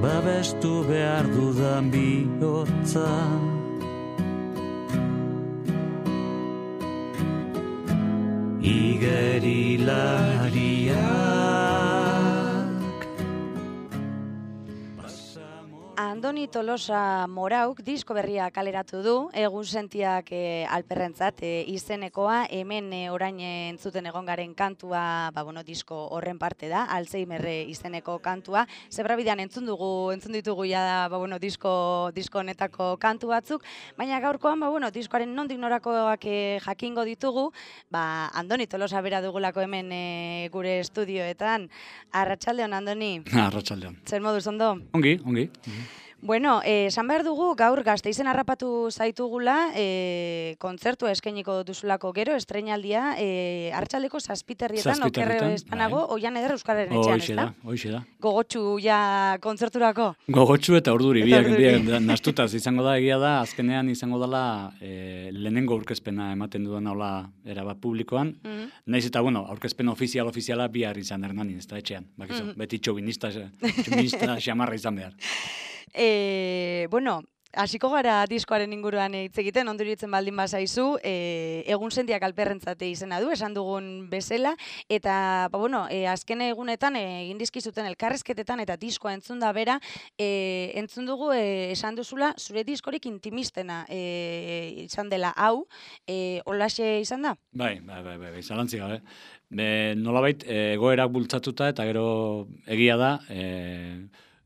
babestu behar dudan bihotza. Igerilariak Andoni Tolosa Morauk disko berria kaleratu du, egunsentiak alperrentzat izenekoa, hemen orain entzuten egon garen kantua, disko horren parte da, Alzheimer izeneko kantua. Zebrabidean entzun ditugu ja disko honetako kantu batzuk, baina gaurkoan diskoaren nondik norakoak jakingo ditugu, Andoni Tolosa bera dugulako hemen gure estudioetan. Arratsaldeon, Andoni. Arratsaldeon. Zer moduz ondo? Ongi. Bueno, esan behar dugu gaur Gasteizen harrapatu zaitugula, kontzertua eskainiko duzulako gero, estreinaldia, arratsaldeko 7:00 okerreo espanago, Oian Eder Euskararen etxean, ezta? Hoxe da. Gogotsu ja kontzerturako? Gogotsu eta urduri, biak nastutaz izango da, egia da, azkenean izango dela lehenengo aurkezpena ematen dudan hola erabat publikoan, naiz eta, aurkezpen ofiziala bihar izan Hernanin, ez da etxean, bakizu, beti txobinista xamarra izan behar. Hasiko gara diskoaren inguruan hitz egiten, ondo iruditzen baldin bazaizu, egunsentiak alperrentzat izena du, esan dugun bezala, eta azken egunetan egin dizkizuten elkarrizketetan eta diskoa entzun da bera, entzun dugu esan duzula zure diskorik intimistena izan dela hau, holaxe izan da? Bai, zalantzi gabe. Nolabait egoerak bultzatuta eta gero egia da,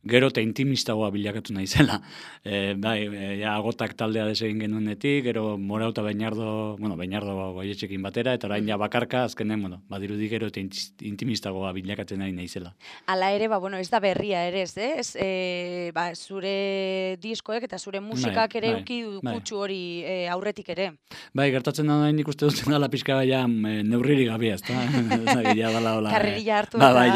gero eta intimistagoa bilakatu naizela. Agotak taldea desegin genuenetik, gero Morau eta Beñardo goietxekin batera, eta orain bakarka, azkenen, badirudi gero eta intimistagoa bilakatzen nahi naizela. Hala ere, ez da berria ere, ez? Zure diskoek eta zure musikak ere euki kutsu hori aurretik ere. Bai, gertatzen da nik uste dut dela pixka neurririk gabea, ez da? Karrerilla hartu eta... Bai,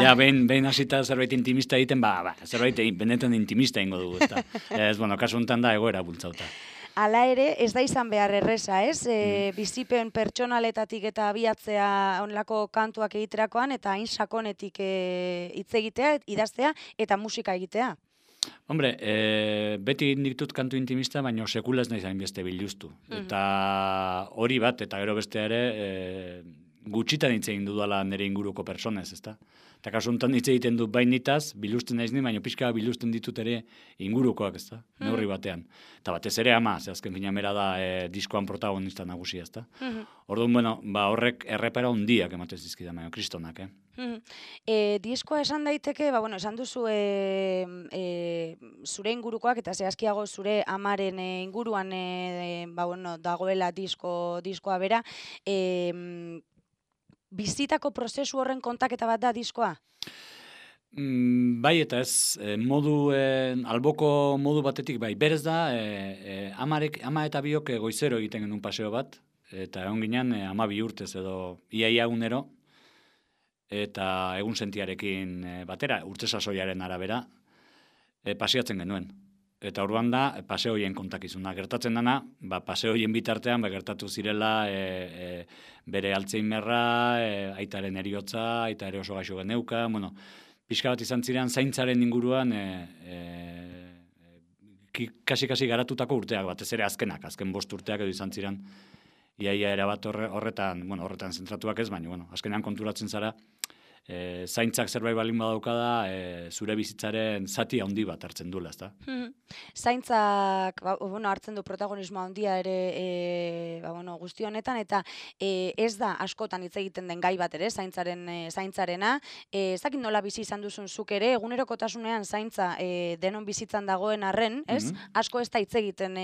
behin hasita zerbait intimista egiten, zerbait benetan intimista ingo dugu, ez da. Kasu honetan da egoera bultzauta. Hala ere, ez da izan behar erreza, ez? Bizipen pertsonaletatik eta abiatzea onlako kantuak egiterakoan, eta hain sakonetik hitz egitea, idaztea, eta musika egitea. Hombre, beti ditut kantu intimista, baina sekula ez nahi zain beste biluztu. Eta hori bat, eta gero beste ere, gutxitan hitz egin dudala nire inguruko personez, ez da? Eta kasu honetan hitz egiten dut bainitaz, biluzten naiz ni, baina pixka biluzten ditut ere ingurukoak, ez da? Neurri batean. Eta batez ere ama, azken fina mera da diskoan protagonista nagusia, ez da? Orduan, horrek errepera hundiak ematen zizkidan, baina kristonak, Diskoa esan daiteke, esan duzu zure ingurukoak eta zehazkiago zure amaren inguruan dagoela diskoa bera, bizitako prozesu horren kontaketa bat da diskoa? Bai eta ez, alboko modu batetik bai. Berez da, ama eta biok goizero egiten genuen paseo bat, eta egon ginen 12 urtez edo iaia unero, eta egun sentiarekin batera, urte sasoiaren arabera, paseatzen genuen. Eta orduan da, paseoien kontakizuna. Gertatzen dana, paseoien bitartean, gertatu zirela bere Alzheimerra, aitaren eriotza, aita ere oso gaixo geneuka, pixka bat izan ziren zaintzaren inguruan kasi garatutako urteak, batez ere azken 5 urteak edo izan ziren, iaia erabat horretan zentratuak ez, baina azkenean konturatzen zara, zaintzak zerbait balin badaukada, zure bizitzaren zati handi bat hartzen duela, ezta? Zaintzak hartzen du protagonismoa handia ere guzti honetan, eta ez da askotan hitz egiten den gai bat ere, zaintzarena. Ez dakit nola bizi izan duzun zuk ere, egunerokotasunean zaintza denon bizitzan dagoen arren, ez? Asko ez da hitz egiten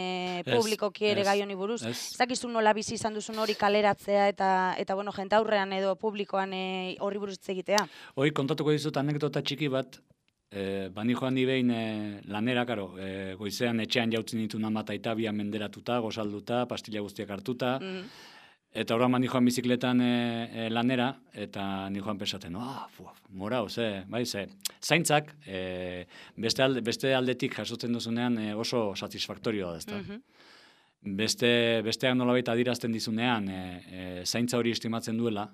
publikoki ere gai honi buruz. Ez dakizu nola bizi izan duzun hori kaleratzea eta jentaurrean edo publikoan horri buruz hitz egitea. Hoi, kontatuko dizut anekdota txiki bat, bani joan ni behin lanera, goizean etxean jautzen ditu nama eta bian menderatuta, gozalduta, pastilla guztiak hartuta, eta horren bani joan bizikletan lanera, eta ni joan pensaten, morao, zaintzak, beste aldetik jasotzen duzunean oso satisfaktorioa da, ezta. Besteak nolabait adirazten dizunean, zaintza hori estimatzen duela,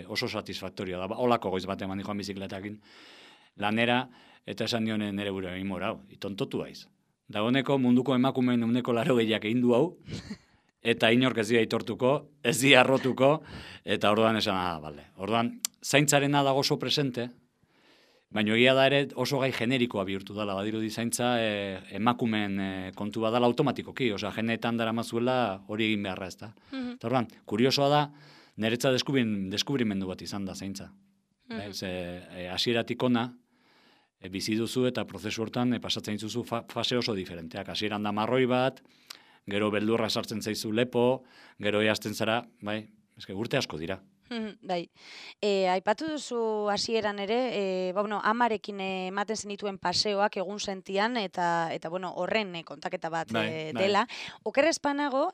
oso satisfaktorioa da. Olako goiz bat eman joan bizikletakin lanera, eta esan dionen nere gure egin morau, itontotu haiz. Dagoeneko munduko emakumeen 80% egin du hau, eta inork ez dira aitortuko, ez dira arrotuko, eta orduan esan, bale. Orduan, zaintzarena dago oso presente, baina egia da ere oso gai generikoa bihurtu dela, badirudi zaintza emakumeen kontu badala automatikoki, osea, genetan dara mazuela hori egin beharra ez da. Eta orduan, kuriosoa da, niretza deskubrimendu bat izan da zaintza. Hasieratik ona, bizi duzu eta prozesu hortan pasatzen dituzu fase oso diferenteak. Hasieran da marroi bat, gero beldurra sartzen zaizu lepo, gero eazten zara, bai, urte asko dira. Bai. Aipatu duzu hasieran ere, amarekin ematen zenituen paseoak egun sentian, eta horren kontaketa bat dela. Okerrez panago,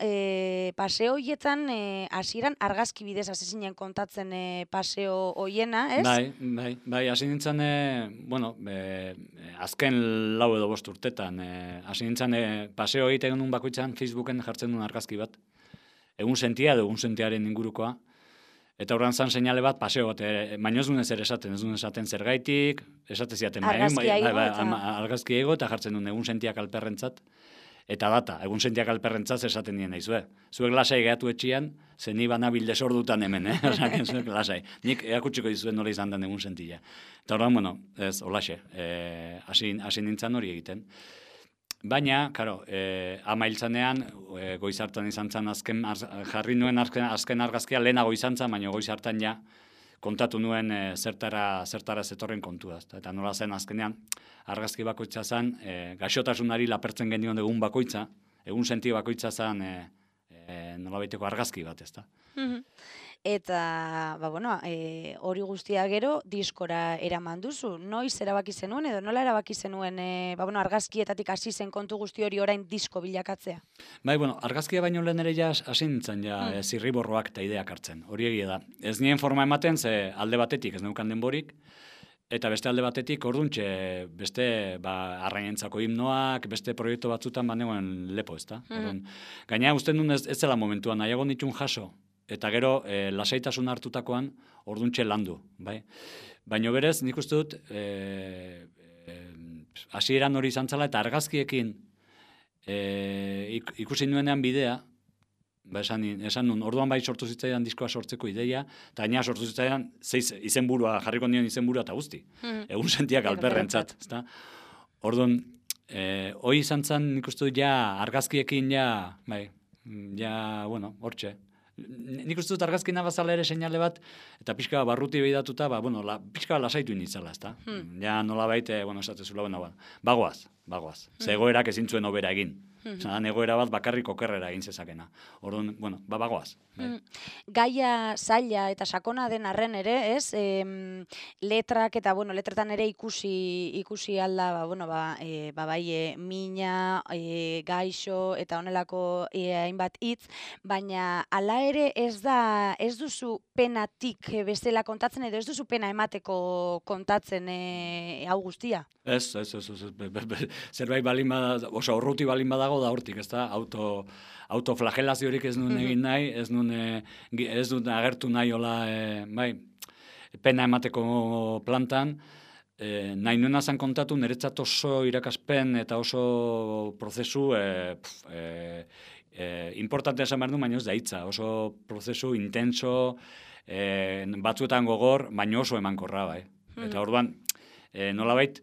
paseo hoietan hasieran argazki bidez hasi zinen kontatzen paseo hoiena, ez? Bai, hasi nintzen, azken 4 edo 5 urtetan, hasi nintzen paseo egiten nun bakoitzan Facebooken jartzen duen argazki bat. Egun sentia edo egun sentiaren ingurukoa. Eta horren zan seinale bat, paseo bat, baina ez duen ezer esaten, ez duen esaten zergaitik, esate ziaten, argazki ego, eta jartzen duen egun sentiak alperrentzat, eta data, egun sentiak alperrentzat esaten dien naizue. Zuek lasai gehatu etxian, zen ni banabil desordutan hemen, Osaken zuek lasai. Nik erakutsiko dizuen nola izan den egun sentia. Eta horren, ez, olaxe, hasi nintzen hori egiten. Baina, karo, ama hiltzanean, goiz hartan izan zen jarri nuen azken argazkia lehenago izan zen, baina goiz hartan ja kontatu nuen zertara zetorren kontua. Eta nola zen azkenean, argazki bakoitza zen, gaixotasunari lapertzen genion egun bakoitza, egun sentio bakoitza zen nola baiteko argazki bat, ezta. Eta, hori guztia gero diskora eraman duzu. Noiz erabaki zenuen edo nola erabaki zenuen argazkietatik hasi zen kontu guzti hori orain disko bilakatzea? Bai, argazkia baino lehen ere ja hasi nintzen zirriborroak eta ideak hartzen. Hori egia da. Ez nien forma ematen, ze alde batetik ez neukan denborik, eta beste alde batetik orduntxe beste arrainentzako himnoak, beste proiektu batzutan banegoen lepo, ezta? Gaina usten duen ez zela momentuan, nahiago nitun jaso, eta gero lasaitasun hartutakoan orduntxe landu, bai? Baina berez, nik uste dut, hasieran hori izan zela, eta argazkiekin ikusi nuenean bidea, esan nun, orduan bai sortu zitzaidan diskoa sortzeko ideia, eta gaina sortu zitzaidan izenburua, jarriko nion izenburua eta guzti. Egun sentiak alperrentzat, ezta? Orduan, hori izan zen, nik uste dut argazkiekin hortxe. Nik uste dut argazkina bazala ere seinale bat, eta pixka barruti behidatuta, pixka lasaitu initzala, ezta? Ja nola baite, esatezula, bagoaz. Ze egoerak ezin zuen obera egin. Zan egoera bat bakarrik okerrera egin zezakena. Orduan, bagoaz. Gaia zaila eta sakona den arren ere, ez? Letrak eta, letretan ere ikusi alda, mina, gaixo eta honelako hainbat hitz, baina hala ere ez duzu penatik bestela kontatzen edo ez duzu pena emateko kontatzen hau guztia? Ez. Zerbait balin bada, oso urruti balin badago da hortik, ez da, autoflagelaziorik ez nuen egin nahi, ez nuen agertu nahi hola, pena emateko plantan, nahi nuena zan kontatu, niretzat oso irakaspen eta oso prozesu importante esan behar du, baina ez da hitza, oso prozesu intenso, batzuetan gogor, baina oso emankorra, bai. Eta orduan, nolabait,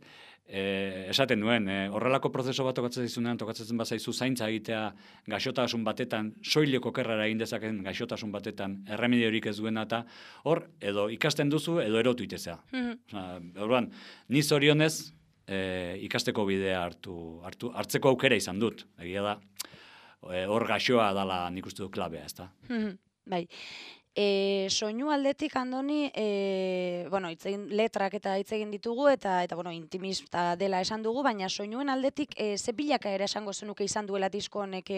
esaten duen, horrelako prozeso bat tokatzen bazaizu zaintza egitea gaixotasun batetan, soileko kerrara egin dezaken gaixotasun batetan, erremediorik ez duena eta hor, edo ikasten duzu, edo erotu itezea. Orduan, ni zorionez ikasteko bidea hartzeko aukera izan dut. Egia da, hor gaixoa dala nik uste du klabea, ez da. Bai. Soinu aldetik, Andoni, letrak eta hitz egin ditugu, eta intimista dela esan dugu, baina soinuen aldetik ze bilaka ere esango zenuke izan duela disko honek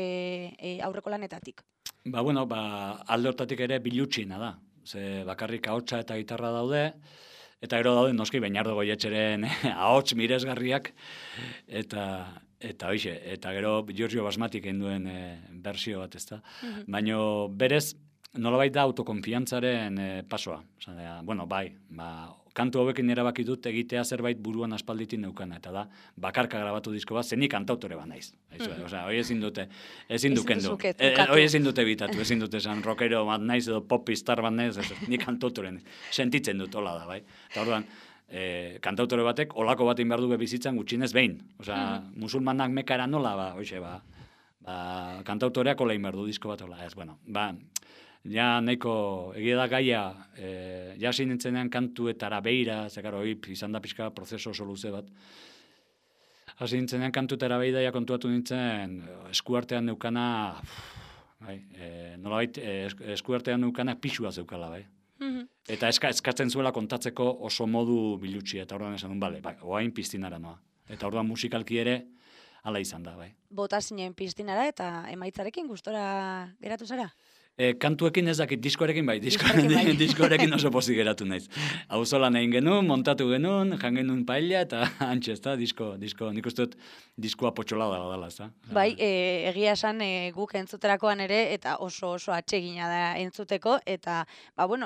aurreko lanetatik? Alde hortatik ere bilutxina da. Ze bakarrik ahotsa eta gitarra daude, eta gero daude noski Beñardo Goietxeren ahots miresgarriak, eta hoixe, eta gero Giorgio Basmatik egin duen bersio bat, ezta. Baina berez, nolabait da autokonfiantzaren pasoa. kantu hauekin erabaki dut egitea zerbait buruan aspalditik neukana, eta da, bakarka grabatu disko bat, zenik kantautore bat naiz. Osea, hori ezin dute, ezin dukendu. Hori ezin dute bitatu, ezin dute esan rockero bat naiz edo popistar bat naiz, ni kantautoren sentitzen dut hola da, bai. Eta orduan, kantautore batek olako bat behar du bizitzan gutxinez behin. Osea, musulmanak mekara nola, kantautoreak hola behar du disko bat hola, ez, bueno, ja nahiko egia da gaia, ja sinintzenean kantuetara beira, zekaro, izan da pixka prozeso oso luze bat. Hasi nintzenean kantuetara beira, ja kontuatu nintzen eskuartean neukana, nolabait eskuartean neukana pixua zeukala, bai. Eta eskatzen zuela kontatzeko oso modu bilutxia, eta orduan esan duen, bale, oain piztinara noa. Eta orduan musikalki ere, hala izan da, bai. Bota zinen piztinara eta emaitzarekin gustora geratu zara? Kantuekin ez dakit, diskoarekin bai, diskoarekin oso pozik geratu naiz. Auzolan egin genuen, montatu genuen, jan genuen paella, eta antxe, ez da, disko, nik uste dut diskoa potxolada badala, ez da. Bai, egia esan guk entzuterakoan ere, eta oso atsegina da entzuteko, eta,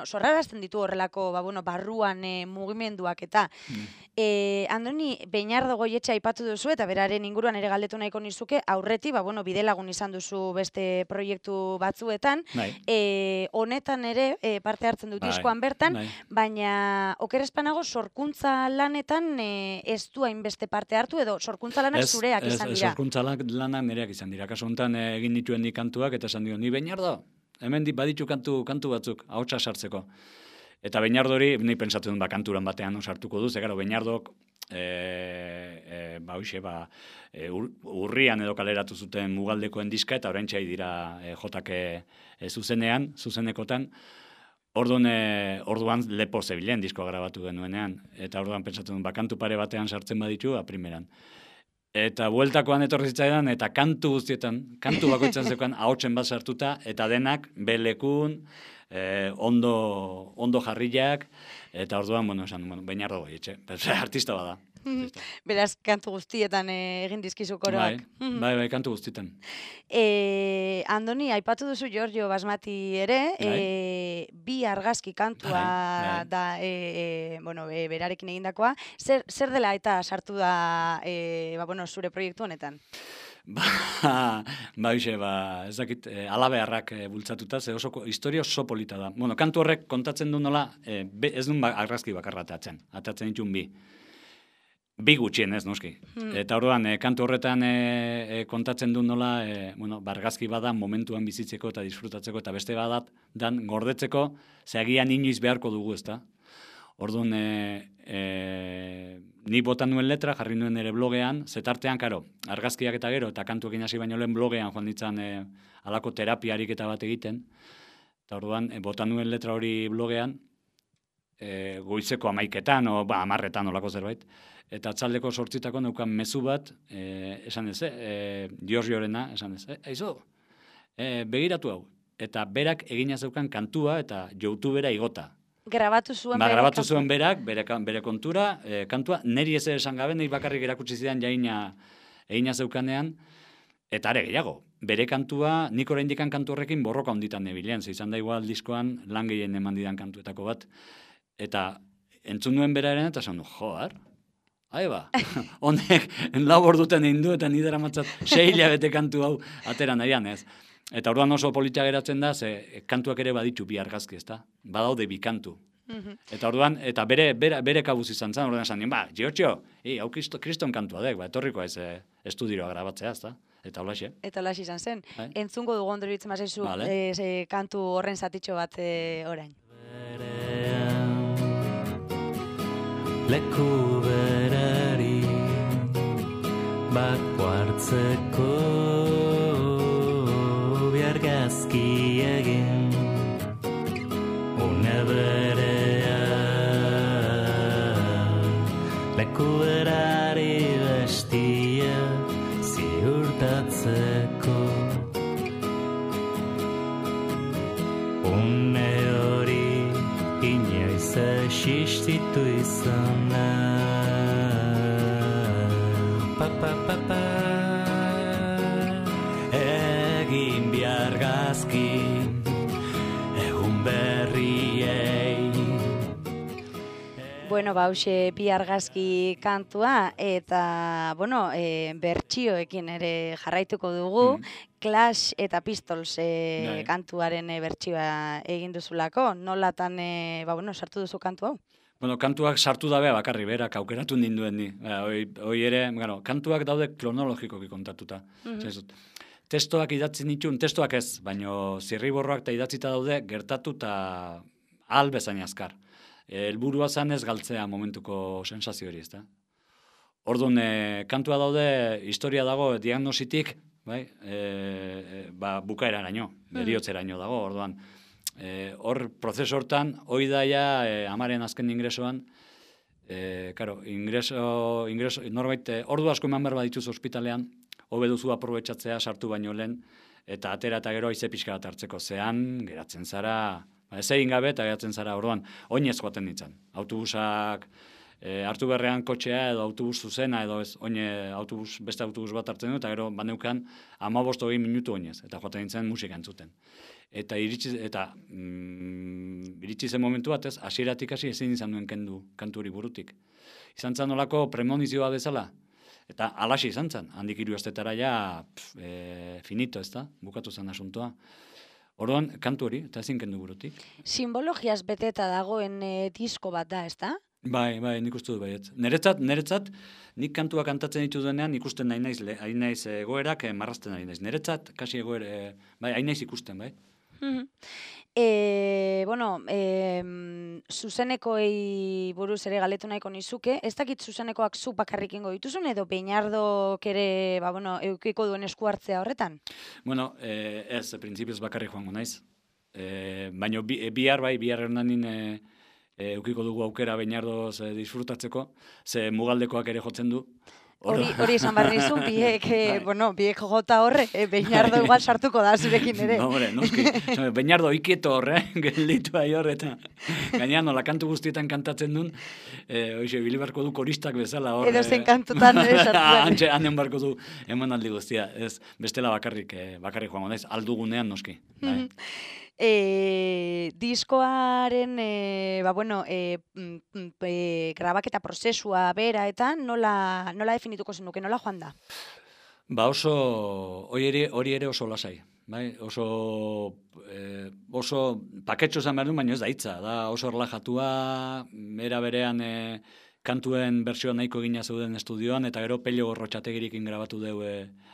sorrarazten ditu horrelako, barruan mugimenduak, eta Andoni, Beñardo Goietxe aipatu duzu, eta beraren inguruan ere galdetu nahiko nizuke, aurreti, bidelagun izan duzu beste proiektu batzuetan, honetan ere parte hartzen dut diskoan bertan, baina okerespanago sorkuntza lanetan ez du hainbeste parte hartu, edo sorkuntza lanak zureak izan dira. Sorkuntza lanak nereak izan dira. Kaso honetan egin dituen ni kantuak, eta esan dio, ni Beñardo, hemen baditu kantu batzuk, ahotsa sartzeko. Eta Beñardori, ni pensatzen dut kanturan batean sartuko du, zegaro Beñardok, urrian edo kaleratu zuten Mugaldekoen diska, eta orain txai dira jotake zuzenekotan, orduan lepo zebilen diskoa grabatu genuenean, eta orduan pentsatzen dut, kantu pare batean sartzen baditu, primeran. Eta bueltakoan etorri zitzaidan, eta kantu bakoitzan zeukan ahotsen bat sartuta, eta denak belekun, ondo jarriak, eta orduan, Beñardo Goietxe, artista bada. Beraz, kantu guztietan egin dizkizu koroak. Bai, kantu guztietan. Andoni, aipatu duzu Giorgio Basmati ere, bi argazki kantua da, berarekin egindakoa. Zer dela eta sartu da zure proiektu honetan? Ez dakit, alabeharrak bultzatuta, ze historia oso polita da. Kantu horrek kontatzen du nola, ez duen argazki bakarra atatzen ditun bi. Bi gutxien ez, noski. Eta orduan, kantu horretan kontatzen du nola, argazki bada momentuan bizitzeko eta disfrutatzeko, eta beste badat, dan gordetzeko, zeagian inoiz beharko dugu, ezta? Orduan, ni botan nuen letra, jarri nuen ere blogean, zetartean, karo, argazkiak eta gero, eta kantuekin hasi baino lehen blogean joan ditzan alako terapiarik eta bat egiten. Eta orduan, botan nuen letra hori blogean, goizeko 11etan, 10etan olako zerbait, eta atzaldeko 8etako neukan mezu bat, esan ez, Giorgiorena, esan ez, aizu, begiratu hau, eta berak egina zeukan kantua eta YouTubera igota. Grabatu zuen berak, bere kontura, kantua, neri ez esan gabe, niri bakarrik erakutsi zidan egina zeukanean, eta are gehiago, bere kantua, nik oraindikan kantu horrekin borroka onditan nebilean, izan da igual diskoan lan gehien eman didan kantuetako bat, eta entzun nuen beraren eta esan du, joar, honek lau orduten egin du eta nidera matzat 6 hilabete kantu hau atera nahian, ez? Eta orduan oso politia geratzen da, ze kantuak ere baditu bi argazki, ezta? Badaude bi kantu. Eta orduan, eta bere kabuz izan zen, orduan esan nien, Giorgio, hau kriston kantua dek, etorriko ez estudiroa grabatzea, ezta? Eta holaxe. Eta holaxe izan zen. Entzungo dugu ondori bitzen mazaizu kantu horren zatitxo bat orain. Leku berari bako hartzeko biargazki egin une berean leku berari bestia ziurtatzeko une hori inoiz existitu izana egin biargazki egun berriei. Bueno, hauxe bi argazki kantua, eta, bueno, bertsioekin ere jarraituko dugu, Clash eta Pistols kantuaren bertsioa egin duzulako, nolatan, sartu duzu kantu hau? Bueno, kantuak sartu dabe bakarri berak aukeratu ninduen ni. Hoi ere, kantuak daude kronologikoki kontatuta. Testoak idatzi nituen, testoak ez, baino zirriborroak eta idatzita daude gertatu eta ahal bezain azkar. Helburua zan ez galtzea momentuko sensazio hori, ezta? Orduan, kantua daude, historia dago diagnositik, bai, bukaeraraino, heriotzeraino dago, orduan. Hor, prozesu hortan, hoi daia, amaren azken ingresoan, ingreso, norbait, ordu asko eman behar badituz ospitalean, hobe duzu aprobetxatzea sartu baino lehen, eta atera eta gero aize pixka bat hartzeko. Zean, geratzen zara, ez egin gabe eta geratzen zara, orduan, oinez joaten ditzen. Autobusak, hartu berrean kotxea edo autobus zuzena edo ez, beste autobus bat hartzen du, eta gero baneukan 15-20 minutu oinez, eta joaten ditzen musika entzuten. Eta iritsi zen momentu bat ez, hasieratik hasi ezin izan duen kendu kantu hori burutik. Izan zen nolako premonizioa bezala, eta alaxi izan zen, handik 3 astetara ja finito, ez da, bukatu zen asuntoa. Orduan, kantu hori, eta ezin kendu burutik. Simbologiaz beteta dagoen disko bat da, ez da? Bai, nik uste dut baiet. Neretzat, nik kantua kantatzen ditu denean ikusten nahi naiz egoerak marrazten nahi naiz. Neretzat, kasi egoera, bai, hain naiz ikusten, bai. Zuzenekoei buruz ere galetu nahiko nizuke, ez dakit zuzenekoak zu bakarrik ingo dituzun, edo Beñardok ere, eukiko duen esku hartzea horretan? Bueno, ez, printzipioz bakarrik joango naiz. Baina bihar hernanin eukiko dugu aukera Beñardoz disfrutatzeko, ze mugaldekoak ere jotzen du. Hori esan behar nizun, biek jota horre, Beñardo igual sartuko da zurekin ere. No, noski, Beñardo ikieto horre, gelditu ahi horre, eta gainean nola kantu guztietan kantatzen duen, bilibarko du koristak bezala horre. Edo zen kantutan ere sartu. Hanen barko du emanaldi guztia, ez bestela bakarrik joango naiz, aldugunean noski. Diskoaren grabaketa prozesua bera eta nola definituko zenuke, nola joan da? Hori ere oso lasai. Bai, oso paketxo zan behar du, baina ez da hitza. Da oso erlajatua, era berean kantuen bertsioa nahiko egina zeuden estudioan, eta gero Pello Gorrotxategirikin grabatu deu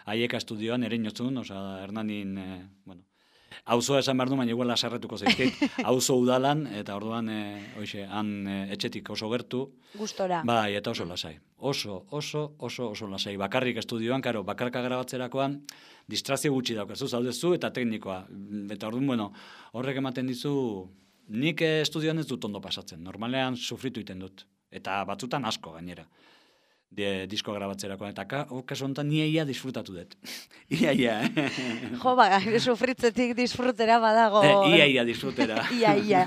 Aieka estudioan, ere inotzun, Hernanin, auzoa esan behar du, baina igual asarretuko zaizkit, auzo udalan, eta orduan, han etxetik oso gertu. Gustora. Bai, eta oso lasai. Oso lasai. Bakarrik estudioan, bakarka grabatzerakoan, distrazio gutxi daukazu, zaudezu eta teknikoa. Eta orduan, horrek ematen dizu, nik estudioan ez dut ondo pasatzen. Normalean sufritu iten dut. Eta batzutan asko gainera. Disko grabatzerakoan, eta kaso honetan ia disfrutatu dut. Ia. Jo, sufritzetik disfrutera badago. Ia disfrutera. Ia.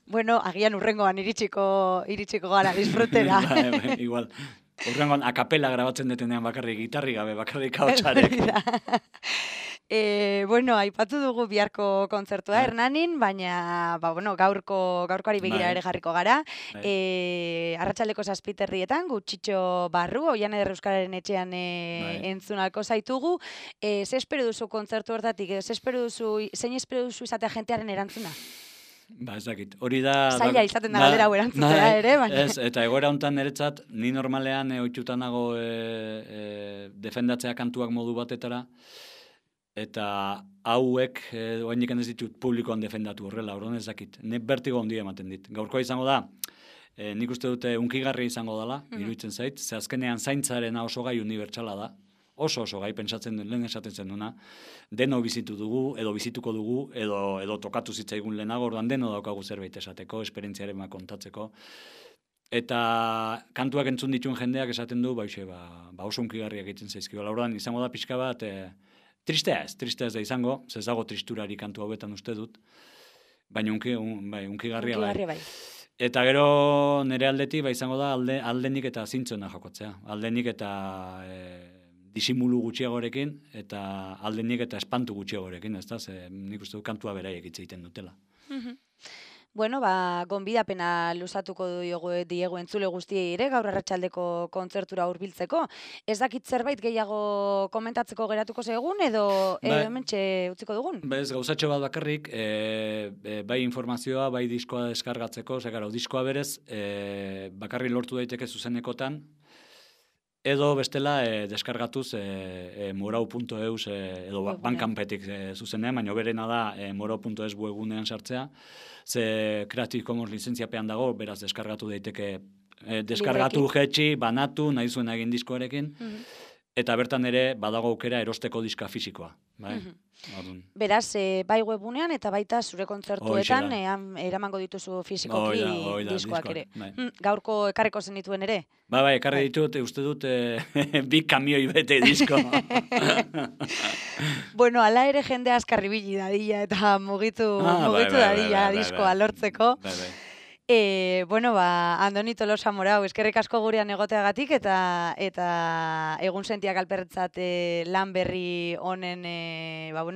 Bueno, agian urrengoan iritsiko gara disfrutera. Igual. Urrengoan akapela grabatzen detenean bakarrik gitarri gabe, bakarrik hautsarekin. Aipatu dugu biharko kontzertua Hernanin, baina gaurkoari begira ere jarriko gara. Arratsaldeko 7:00 Gutxitxo barru, Oian Eder Euskararen etxean entzun alko zaitugu. Ze espero duzu kontzertu hortatik? Zein espero duzu izatea jentearen erantzuna? Ez dakit. Hori da... Zaila izaten da galdera hau erantzutea ere, baina... Ez, eta egoera honetan niretzat, ni normalean ohituta nago defendatzea kantuak modu batetara, eta hauek, oainik ez ditut publikoan defendatu horrela, horren ez dakit. Ne bertigo handia ematen dit. Gaurkoa izango da, nik uste dute unkigarri izango dela, iruditzen zait, ze azkenean zaintzarena oso gai unibertsala da, oso gai pentsatzen den, lehen esaten zen duna, deno bizitu dugu, edo bizituko dugu, edo tokatu zitzaigun lehenago, orduan deno daukagu zerbait esateko, esperientziaren kontatzeko. Eta kantuak entzun dituen jendeak esaten du, oso unkigarriak egiten zaizkio. Orduan izango da pixka bat, tristea ez da izango, zezago tristurari kantu hauetan uste dut, baina unkigarria bai. Eta gero nire aldetik izango da aldenik eta zintzoena jokotzea. Aldenik eta disimulu gutxiagorekin, eta aldenik eta espantu gutxiagorekin, ez da? Nik uste dut kantua beraiek hitz egiten dutela. Bueno, gonbidapena luzatuko diegu entzule guztiei ere, gaur arratsaldeko kontzertura hurbiltzeko. Ez dakit zerbait gehiago komentatzeko geratuko zegun, edo hementxe utziko dugun? Ez, gauzatxo bat bakarrik, bai informazioa, bai diskoa deskargatzeko, diskoa berez, bakarrik lortu daiteke zuzenekotan, edo bestela deskargatuz morau.eus edo bankanpetik zuzenean, baina berena da morau.eus webgunean sartzea, ze Creative Commons lizentziapean dago, beraz deskargatu daiteke, deskargatu jetxi, banatu, nahi zuen egin diskoarekin, eta bertan ere badago aukera erosteko diska fisikoa. Bai? Beraz, bai webunean eta baita zure kontzertuetan eramango dituzu fisikoki diskoak ere. Gaurko ekarriko zenituen ere? Bai, ekarri ditut, uste dut, bi kamioi bete disko. Bueno, ala ere jende askarri bili dadila eta mugitu dadila diskoa lortzeko. Bueno, Andoni Tolosa Morau, eskerrik asko gurean egoteagatik eta egun sentiak alperretzat lan berri honen,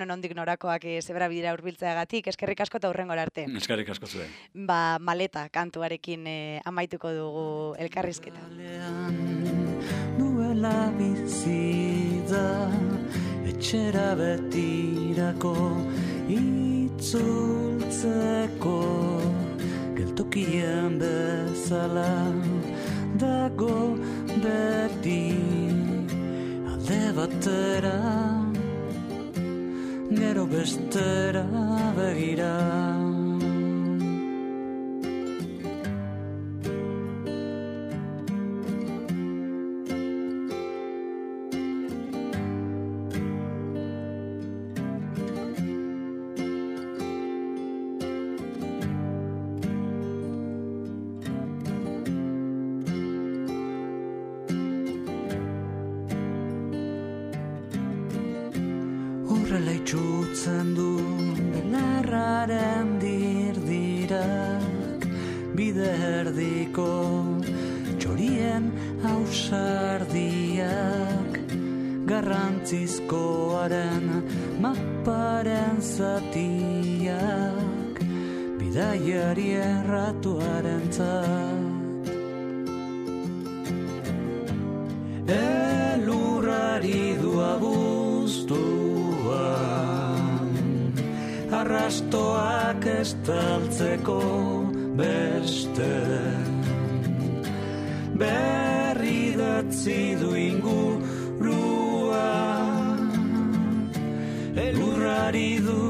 nondik norakoak zebra bidera hurbiltzeagatik, eskerrik asko eta hurrengora arte. Eskerrik asko zuen. Maleta kantuarekin amaituko dugu elkarrizketa. Duela bizi da, etxera betirako itzultzeko, geltokien bezala dago beti alde batera, gero bestera begira. Horrela itxutzen du belarraren dirdirak, bide erdiko txorien ausardiak, garrantzizkoaren maparen zatiak, bidaiari erratuaren zat. Elurrari du abuztuan, arrastoak estaltzeko beste, berri datzi du ingurua, elurrari du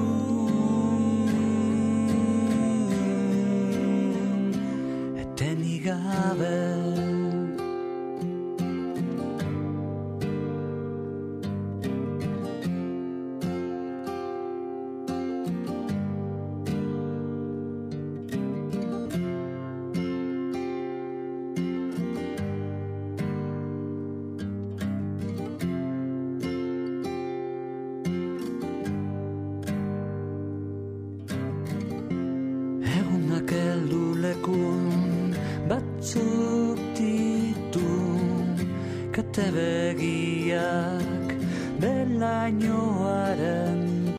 etenik gabe. Batzuk ditu kate begiak belainoaren